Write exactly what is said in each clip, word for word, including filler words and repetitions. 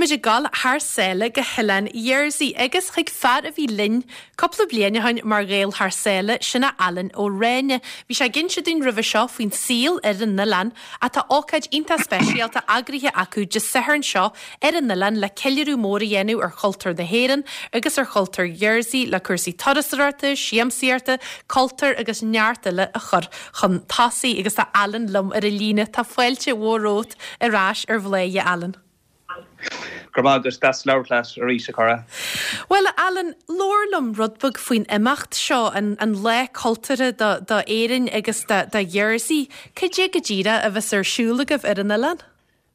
Táimid ag dul thar sáile go hOileán Jersey agus chuig fear a bhí linn cúpla bliain ó shin mar Ghael thar sáile sin é Alan Ó Ráinne. Bhí sé ag inse dúinn roimhe seo faoin saol ar an oileán ach tá ócáid iontach speisialta eagraithe acu Dé Sathairn seo ar an oileán le ceiliúradh mór a dhéanamh ar chultúr na hÉireann agus ar chultúr Jersey le cúrsaí turasóireachta, siamsaíochta, cultúr agus neart eile a chur chun tosaigh agus tá Alan liom ar an líne tá fáilte mhór romhat ar ais ar Bhladhaire Alan. Gur agus deas labhairt leat arís a chara. Well Alan labhair liom rud beag faoin imeacht seo an, an lá cultúrtha do, do Éirinn agus do, do Jersey, Cad é go díreach a bheas ar siúl agaibh ar an oileán?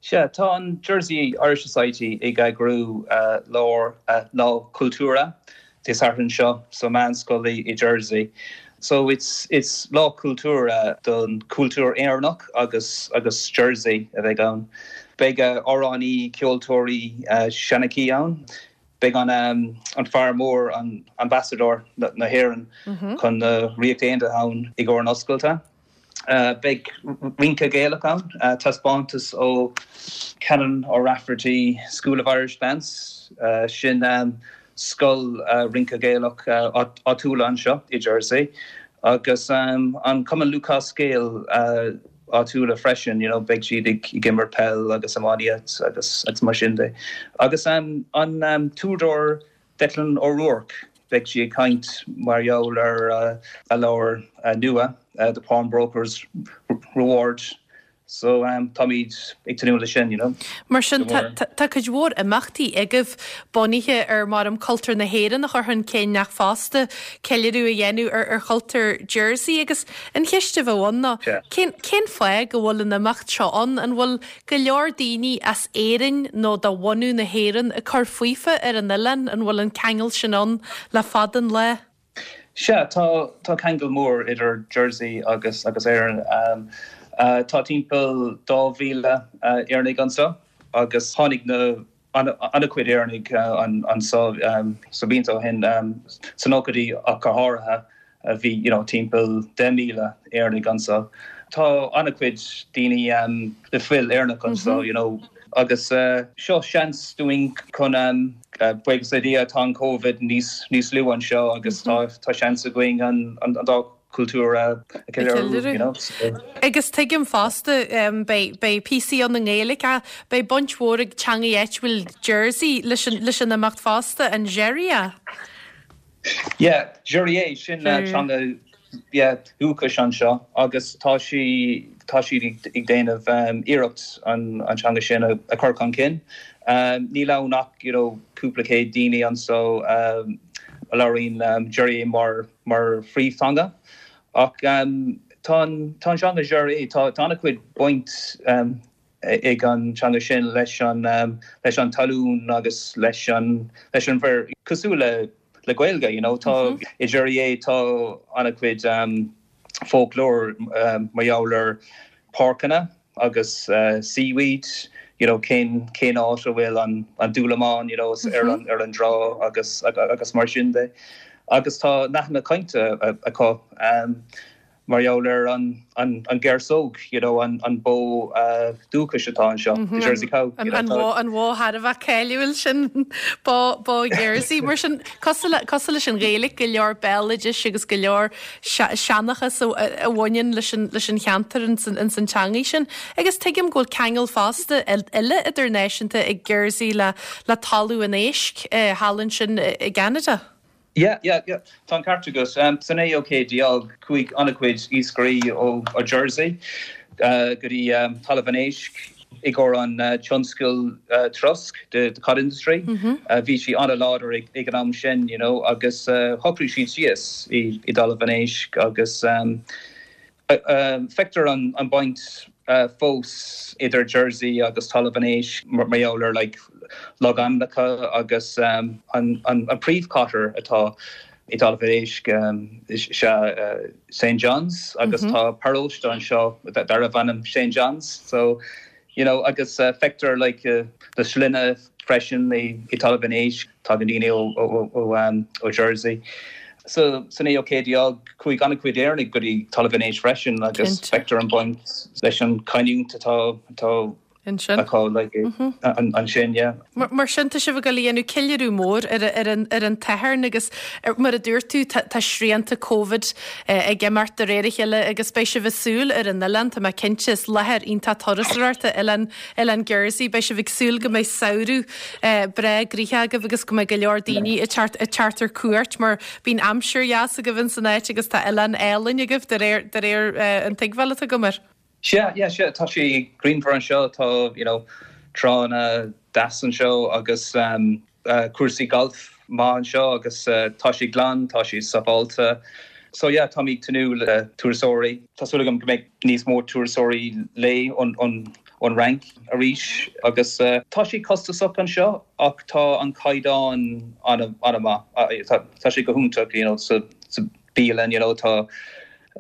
Sea tá an Jersey Irish Society ag eagrú uh, lá uh, lá cultúrtha Dé Sathairn seo sa meánscoil i Jersey. So it's it's lá cultúrtha don cultúr Éireannach agus agus Jersey a bheidh ann. Beidh amhránaí ceoltóirí uh, seanchaí ann. Beidh an um, an fear mór an ambassador na, na hÉireann mm -hmm. chun na Ríochta Aontaithe ann i gcomhair an oscailte. Uh, Beidh rince Gaelach ann uh, taispeántas ó Canon O'Rafferty School of Irish Dance uh, sin um, scoil uh, rince Gaelach uh, áitiúil anseo i Jersey agus um, an Cumann Lúthchleas Gael uh, áitiúla freisin you know, beidh siad ag ag imirt peil agus iománaíocht agus agus mar sin de. Agus um, an um, t-údar Declan O'Rourke beidh sé ag caint mar gheall ar uh, a leabhar uh, nua uh, the Pawnbroker's Reward. So um, táimid ag tnúth leis sin, you know. Mar sin tá cuid mhór imeachtaí agaibh bunaithe ar mar an cultúr na hÉireann a chur chun cinn ach fosta ceiliúradh a dhéanamh ar ar chultúr Jersey agus an cheist a bheadh ann ná cén cén fáth go bhfuil an imeacht seo ann an bhfuil go leor daoine as Éirinn nó de bhunadh na hÉireann ag cur fúthu ar an oileán an bhfuil an ceangal sin ann le fada an lá. Sea tá tá ceangal mór idir Jersey agus agus Éirinn. Um, uh, tá timpeall dá mhíle uh, Éireannaigh anseo agus tháinig na an-chuid Éireannaigh uh, an anseo um, sa blianta ó shin um, sna nóchaidí ach go háirithe a bhí you know, timpeall deich míle Éireannaigh anseo. Tá an-chuid daoine um, le fuil Éireannach anseo mm -hmm. you know, agus uh, seo seans dúinn chun um, uh, buíochas le Dia tá an COVID níos níos lú anseo agus mm -hmm. tá tá seans againn an, an, an dá cultúr you Agus tuigim fosta um, beidh píosaí ann i nGaeilge a beidh baint mhór ag teanga áitiúil Jersey leis an leis an imeacht fosta an Jèrriais. Yeah, Jèrriais sin uh, teanga yeah, dúchais anseo agus tá sí tá siad ag déanamh um, iarracht an, an teanga sin a, a chur chun cinn. Um, níl ann ach you know, cúpla céad daoine anseo um, a labhraíonn um, Jèrriais mar mar phríomhtheanga. Ach um, tá tá teanga Jèrriais tá tá an-chuid baint um, ag an teanga sin leis an um, leis an talún agus leis an leis an bhféar cosúil le le Gaeilge you know, tá mm -hmm. i Jèrriais tá an-chuid um, folklore um, mar gheall ar páirceanna agus uh, seaweed you know, cén cén áit a bhfuil an an dúlamán you know, mm -hmm. ar an ar an trá agus agus mar sin de. Agus tá nathanna cainte acu um, mar gheall ar an an an ghearsóg you know, an an bó uh, dúchais atá anseo mm -hmm. Jersey cow an an bhó thar a bheith cáiliúil sin bó bó Jersey mar sin cosúil leis an Ghaeilge go leor béaloidis agus go leor seanchas a bhaineann leis an leis an cheantar in san teanga sin agus tuigim go bhfuil ceangal fosta eile idirnáisiúnta ag Jersey le le Talamh an Éisc eh, thall ansin i gCeanada. Yeah, yeah, yeah. Tá ceart agat um, san naoú céad déag chuaigh an-chuid iascairí ó, ó Jersey uh, go dtí um, Talamh an Éisc i gcomhair an uh, tionscal uh, trosc de the cod industry. Mm -hmm. uh, bhí sí an-láidir ag, ag an am sin, you know, agus uh, shocraigh siad síos i, i dTalamh an Éisc agus um, uh, uh, feictear an, an baint uh, fós idir Jersey agus Talamh an Éisc mar gheall ar like, logainmneacha agus um, an, an, an príomhchathair atá i dTalamh an Éisc um, sé uh, St. John's agus mm -hmm. tá paróiste anseo darbh ainm St. John's so you know agus uh, feictear like uh, na sloinnte freisin i, i Talamh an Éisc tá daoine ó, ó, ó, um, ó Jersey. So san naoú céad déag chuaigh an-chuid Éireannaigh go dtí Talamh an Éisc freisin agus feictear an baint leis an chanúint atá atá Ansin. acu like ansin yeah. Mar sin tá sibh ag dul a dhéanamh ceiliúradh mór ar ar an ar an tSatharn agus mar a dúirt tú tá srianta Covid ag imeacht de réir a chéile agus beidh sibh ag súil ar an oileán tá mé cinnte is láthair iontach turasóireachta oileán oileán Jersey beidh sibh ag súil go mbeidh samhradh breá gnoitheach agaibh agus go mbeidh go leor daoine ag teacht ag teacht ar cuairt mar bíonn aimsir dheas agaibh in san áit agus tá oileán álainn agaibh de réir de réir an tuigbheáil atá agam air. Sea, yeah, sea, tá sé grianmhar anseo, tá, you know, tránna deas anseo agus um, uh, cúrsaí golf maith anseo agus uh, tá sé glan, tá sé sábháilte. So yeah, tá mé ag tnúth le turasóirí. Tá súil agam go mbeidh níos mó turasóirí le ón ón ón Fhrainc arís agus uh, tá sé costasach anseo ach tá an caighdeán an-mhaith. Tá, tá sé go hiontach, you know, sa, sa bialann, you know, tá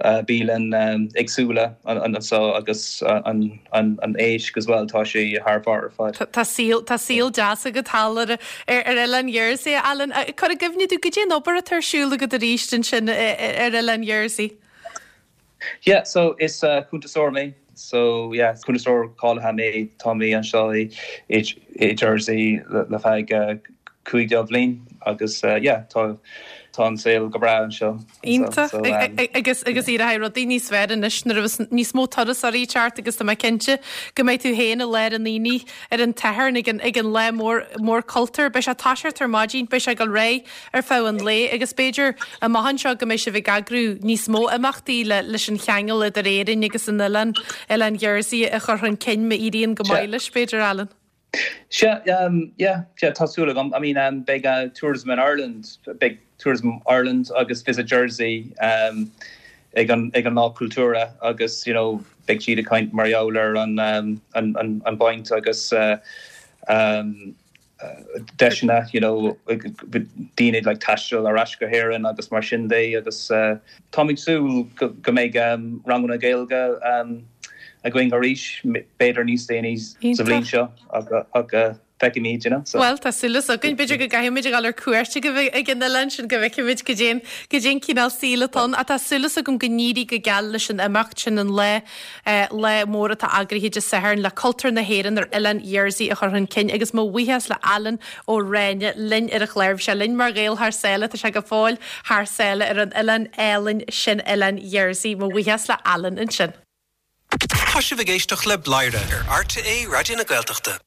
uh, bialann um, éagsúla anseo agus uh, an, an, an éisc as well tá sé thar barr ar fad. Tá saol tá saol deas agat thall ar ar oileán Jersey Alan cuir i gcuimhne dom goidé an obair atá ar siúl agat arís ansin ar oileán Jersey. Yeah, so is uh, cuntasóir mé so yeah, cuntasóir cáilithe mé tá mé anseo i, i, i Jersey le, le feadh uh, cúig déag bhliain agus uh, yeah, tá tá an saol go breá anseo. Iontach so, um, agus agus éireoidh rudaí níos fearr anois nuair níos mó turasóirí ag teacht agus tá mé cinnte go mbeidh tú féin i lár an aonaigh ar an Satharn ag an ag an lá mór mór cultúr, Beidh sé ag toiseacht ar maidin, beidh sé ag dul ar aghaidh ar feadh an lae agus b'fhéidir amach anseo go mbeidh sibh ag eagrú níos mó imeachtaí le leis an cheangal idir Éirinn agus an oileán oileán Jersey a chur chun cinn má éiríonn go maith leis b'fhéidir Alan. Sea, um, yeah, yeah, tá súil agam. I mean, um, beidh uh, Tourism in Ireland, beidh Tourism Ireland agus Visit Jersey um, ag an ag an lá cultúrtha agus you know, beidh siad ag caint mar gheall ar an, um, an, an, an baint agus uh, um, uh, deiseanna you know, daoine like taisteal ar ais go hÉirinn agus mar sin de agus uh, tá súil go, go mbeidh um, ranganna Gaeilge um, againn arís b'fhéidir níos déanaí sa bhliain seo ach feicfimid you know, so. Well tá súil againn b'fhéidir go gcaithfimid a ghabháil ar cuairt ag an oileán sin go bhfeicfimid goidé goidé an cineál saoil atá ann tá súil agam go n-éirí go geal leis an imeacht sin an lá lá mór atá eagraithe Dé Sathairn le cultúr na hÉireann ar oileán Jersey a chur chun cinn agus mo bhuíochas le Alan Ó Ráinne linn ar an chlár sé linn mar Ghael thar sáile tá sé go fóill thar sáile ar an oileán álainn sin oileán Jersey mo bhuíochas le Alan ansin. Tá sibh ag éisteacht le Bladhaire ar RTÉ Raidió na Gaeltachta.